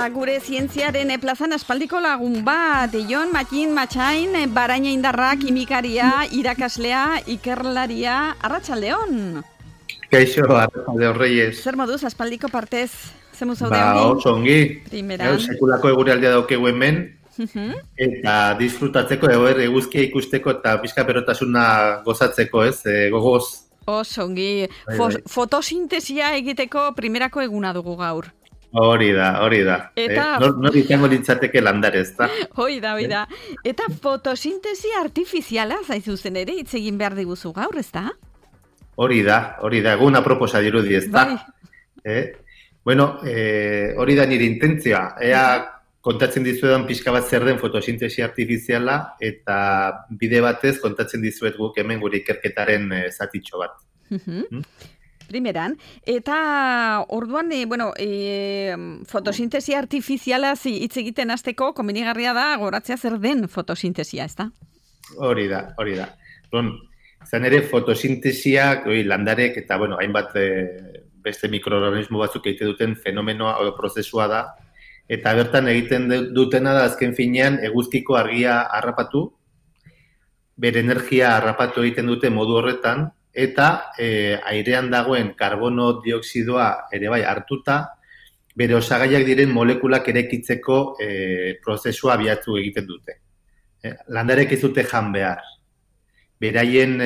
gure zientziaren plazan aspaldiko lagun bat, Jon Matin Matxain, baraina indarra, kimikaria, irakaslea, ikerlaria, arratsaldeon. Kaixo, arratsaldeon Reyes. Zer moduz, aspaldiko partez, zemu zaude hori? Oso ongi. Primeran. Sekulako eguraldia daukegu hemen, eta disfrutatzeko, eguzkia ikusteko eta pixka berotasuna gozatzeko, ez, gogoz. Oso ongi. Fotosintesia egiteko primerako eguna dugu gaur. Hori da. Eta... Nor izango litzateke landare, ez da? Hoi da. Eta fotosintesi artifiziala zaizuzen ere hitz egin behar diguzu gaur, ez da? Hori da. Eguna proposa dirudi, ez da? Bueno, hori da nire intentzioa. Ea kontatzen dizuetan pixka bat zer den fotosintesi artifiziala eta bide batez kontatzen dizuet guk hemen gure ikerketaren zatitxo bat. Primeran, eta orduan, fotosintesi artifiziala hitz egiten hasteko komenigarria da goratzea zer den fotosintesia, ez da? Hori da. Zan ere fotosintesiak, landarek eta hainbat beste mikroorganismo batzuk egiten duten fenomenoa o prozesua da, eta bertan egiten dutena da azken finean eguzkiko argia harrapatu, bere energia harrapatu egiten dute modu horretan, eta airean dagoen karbono dioxidoa ere bai hartuta, bere osagaiak diren molekulak eraikitzeko prozesua abiatu egiten dute. Landarek ez dute jan behar. Beraien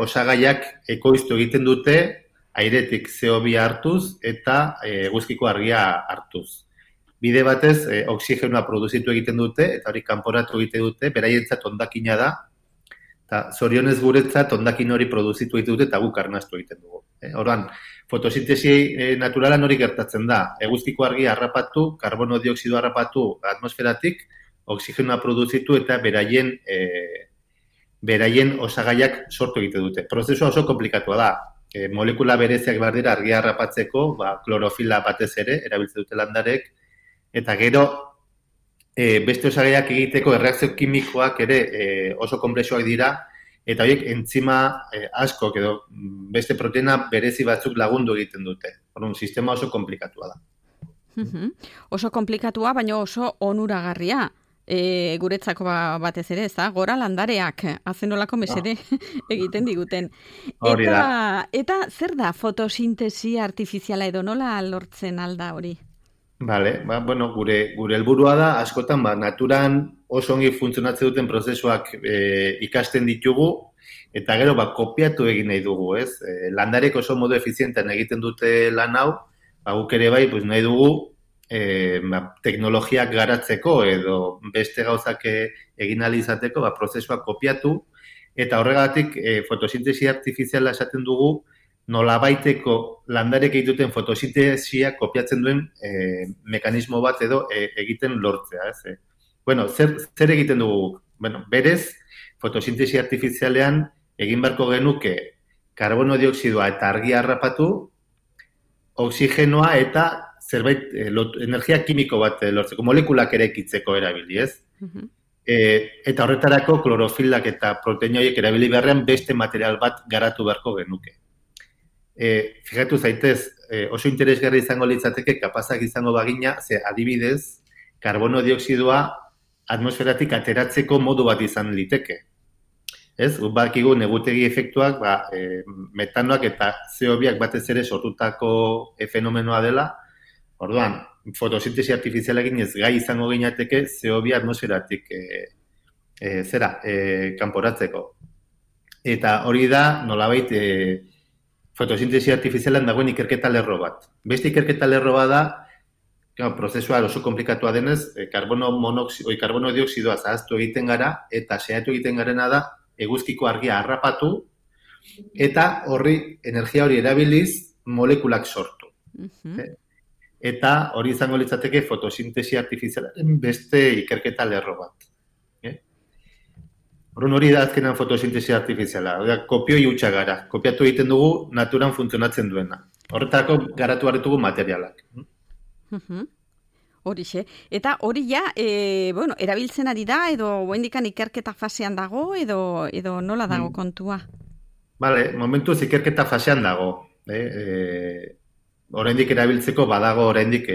osagaiak ekoiztu egiten dute, airetik CO2 hartuz eta eguzkiko argia hartuz. Bide batez, oxigenoa produzitu egiten dute, eta hori kanporatu egiten dute, beraientzat hondakina da, eta zorionez guretzat hondakin hori produzitu egiten dute eta guk arnastu egiten dugu. Orduan, fotosintesi naturalan hori gertatzen da. Eguzkiko argia harrapatu, karbono dioxidoa harrapatu atmosferatik, oxigenoa produzitu eta beraien osagaiak sortu egiten dute. Prozesua oso komplikatua da. Molekula bereziak behar dira argia harrapatzeko, klorofila batez ere, erabiltzen dute landarek, eta gero beste osagaiak egiteko erreakzio kimikoak ere oso konplexuak dira, eta horiek entzima askok edo beste proteina berezi batzuk lagundu egiten dute. Orduan, sistema oso komplikatua da. Oso komplikatua, baina oso onuragarria. Guretzako batez ere, ez da? Gora landareak, azenolako mesede egiten diguten. Eta zer da fotosintesi artifiziala edo nola lortzen alda hori? Vale, gure helburua da, askotan, naturan oso ongi funtzionatzen duten prozesuak ikasten ditugu, eta gero, kopiatu egin nahi dugu, ez? Landarek oso modu efizientean egiten dute lan hau, guk ere bai, nahi dugu, teknologiak garatzeko edo beste gauzak egin ahal izateko, prozesuak kopiatu, eta horregatik fotosintesi artifiziala esaten dugu, nolabaiteko landarek egiten fotosintesia kopiatzen duen mekanismo bat edo egiten lortzea. Zer egiten dugu? Berez, fotosintesi artifizialean egin beharko genuke karbono dioxidoa eta argia harrapatu, oxigenoa eta zerbait energia kimiko bat lortzeko, molekulak eraikitzeko erabili, ez? Eta horretarako klorofilak eta proteina horiek erabili beharrean beste material bat garatu beharko genuke. Fijatu zaitez, oso interesgarri izango litzateke kapazak izango bagina, ze adibidez, karbono dioxidoa atmosferatik ateratzeko modu bat izan liteke. Ez? Bakigu negutegi efektuak, metanoak eta CO2ak batez ere sortutako fenomenoa dela. Orduan, fotosintesi artifizialekin ez gai izango ginateke CO2 atmosferatik kanporatzeko. Eta hori da, nolabait, fotosintesi artifizialan dagoen ikerketa lerro bat. Beste ikerketa lerro bat da, prozesua oso komplikatua denez, karbono dioxidoa zahaztu egiten gara, eta saiatu egiten garena da, eguzkiko argia harrapatu, eta energia hori erabiliz molekulak sortu. Eta hori izango litzateke fotosintesi artifizialaren beste ikerketa lerro bat. Hori da azkenan fotosintesi artifiziala. Kopioi hutsa gara. Kopiatu egiten dugu naturan funtzionatzen duena. Horretako garatu hartugu materialak. Horixe. Eta hori ja, erabiltzen ari da, edo oraindikan ikerketa fasean dago, edo nola dago kontua? Momentuz ikerketa fasean dago. oraindik erabiltzeko badago oraindik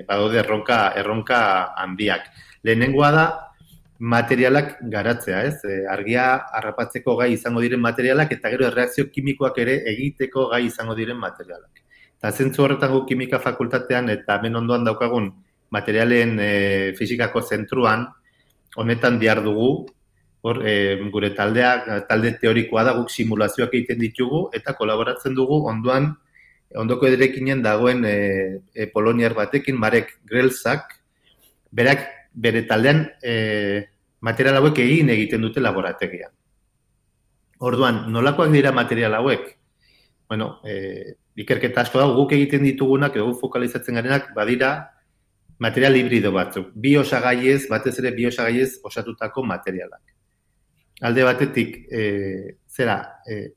badaude erronka handiak. Lehenengoa da materialak garatzea, ez? Argia harrapatzeko gai izango diren materialak eta gero erreakzio kimikoak ere egiteko gai izango diren materialak. Eta zentzu horretan guk kimika fakultatean eta hemen ondoan daukagun materialen fisikako zentruan honetan dihardugu. Hor, gure talde teorikoa da, guk simulazioak egiten ditugu eta kolaboratzen dugu ondoko ederekinen dagoen poloniar batekin, Marek Grelzak, berak bere taldean material hauek egiten dute laborategian. Orduan, nolakoak dira material hauek? Bueno, ikerketa asko dago, guk egiten ditugunak, edo fokalizatzen garenak, badira material hibrido batzuk. Batez ere bi osagaiez osatutako materialak. Alde batetik,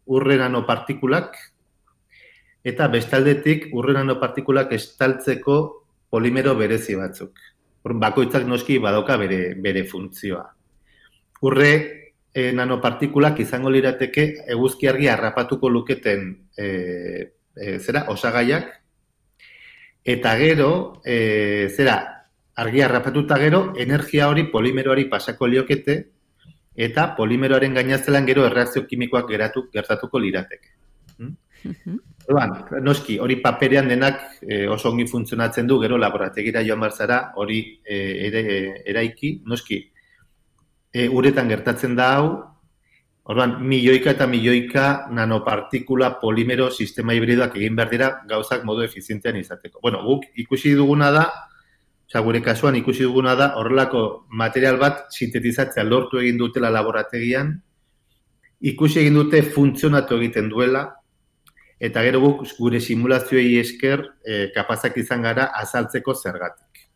urre nanopartikulak, eta bestaldetik urre nanopartikulak estaltzeko polimero berezi batzuk. Bakoitzak noski badauka bere funtzioa. Urre nanopartikulak izango lirateke eguzki argia harrapatuko luketen osagaiak, eta gero, argia harrapatuta gero, energia hori polimeroari pasako liokete, eta polimeroaren gainaztelan gero erreakzio kimikoak gertatuko lirateke. Noski, hori paperean denak oso ongi funtzionatzen du, gero laborategira joan barzara, hori eraiki, noski, uretan gertatzen da hau, orduan, milioika eta milioika nanopartikula polimero sistema hibridoak egin behar dira gauzak modu efizientean izateko. Bueno, guk ikusi duguna da, gure kasuan ikusi duguna da, horrelako material bat sintetizatzea lortu egin dutela laborategian, ikusi egin dute funtzionatu egiten duela, eta gero guk gure simulazioei esker kapazak izan gara azaltzeko zergatik.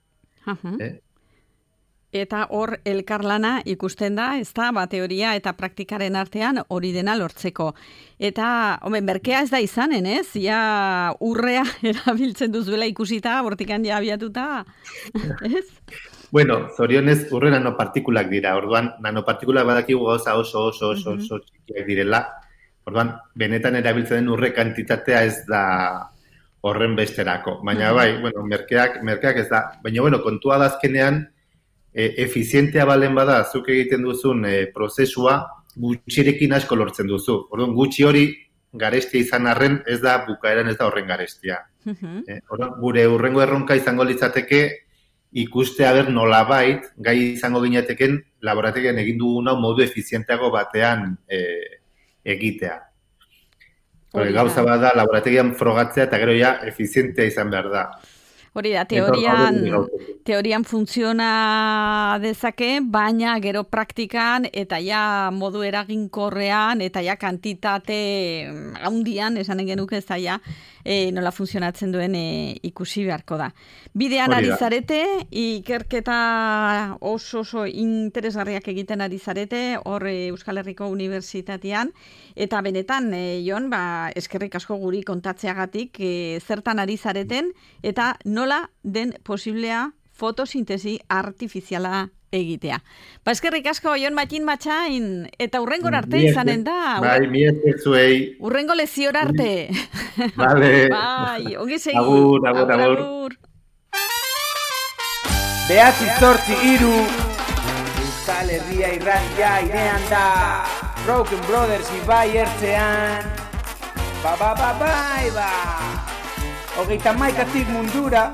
Eta hor elkarlana ikusten da, ez da, teoria eta praktikaren artean hori dena lortzeko. Eta, merkea ez da izanen, ez? Ja urrea erabiltzen duzuela ikusita, bortikan ja abiatuta, ez? Bueno, zorionez urre nanopartikulak dira. Orduan, nanopartikulak badakigu gauza oso txikiak direla. Orduan, benetan erabiltzen den urre kantitatea ez da horren besterako. Baina bueno, merkeak ez da. Baina, kontua da azkenean, efizientea balen bada, zuk egiten duzun prozesua, gutxirekin asko lortzen duzu. Orduan, gutxi hori garestia izan arren, ez da bukaeran ez da horren garestia. Orduan, gure hurrengo erronka izango litzateke, ikustea nolabait, gai izango ginateken, laborategian egin duguna modu efizienteago batean egitea. Gauza bada, laborategian frogatzea eta gero ja efizientea izan behar da. Hori da, teorian funtziona dezake, baina gero praktikan eta ja modu eraginkorrean eta ja kantitate handian, esanen genuke ez da ja, nola funtzionatzen duen ikusi beharko da. Bidean ari zarete, ikerketa oso interesgarriak egiten ari zarete, hor Euskal Herriko Unibertsitatean, eta benetan, Jon, eskerrik asko guri kontatzeagatik, zertan ari zareten, eta nola den posiblea fotosintesi artifiziala egitea. Eskerrik asko, Jon Mattin Matxain, eta hurrengor arte izanen da. Bai, mi eskertzuei. Hurrengo leziora arte. Vale. Bai, ongi segi. Agur. Behatzi zortzi iru, Euskal Herria irratia irean da, Broken Brothers ibai ertzean, bai. Hogeita maikatik mundura,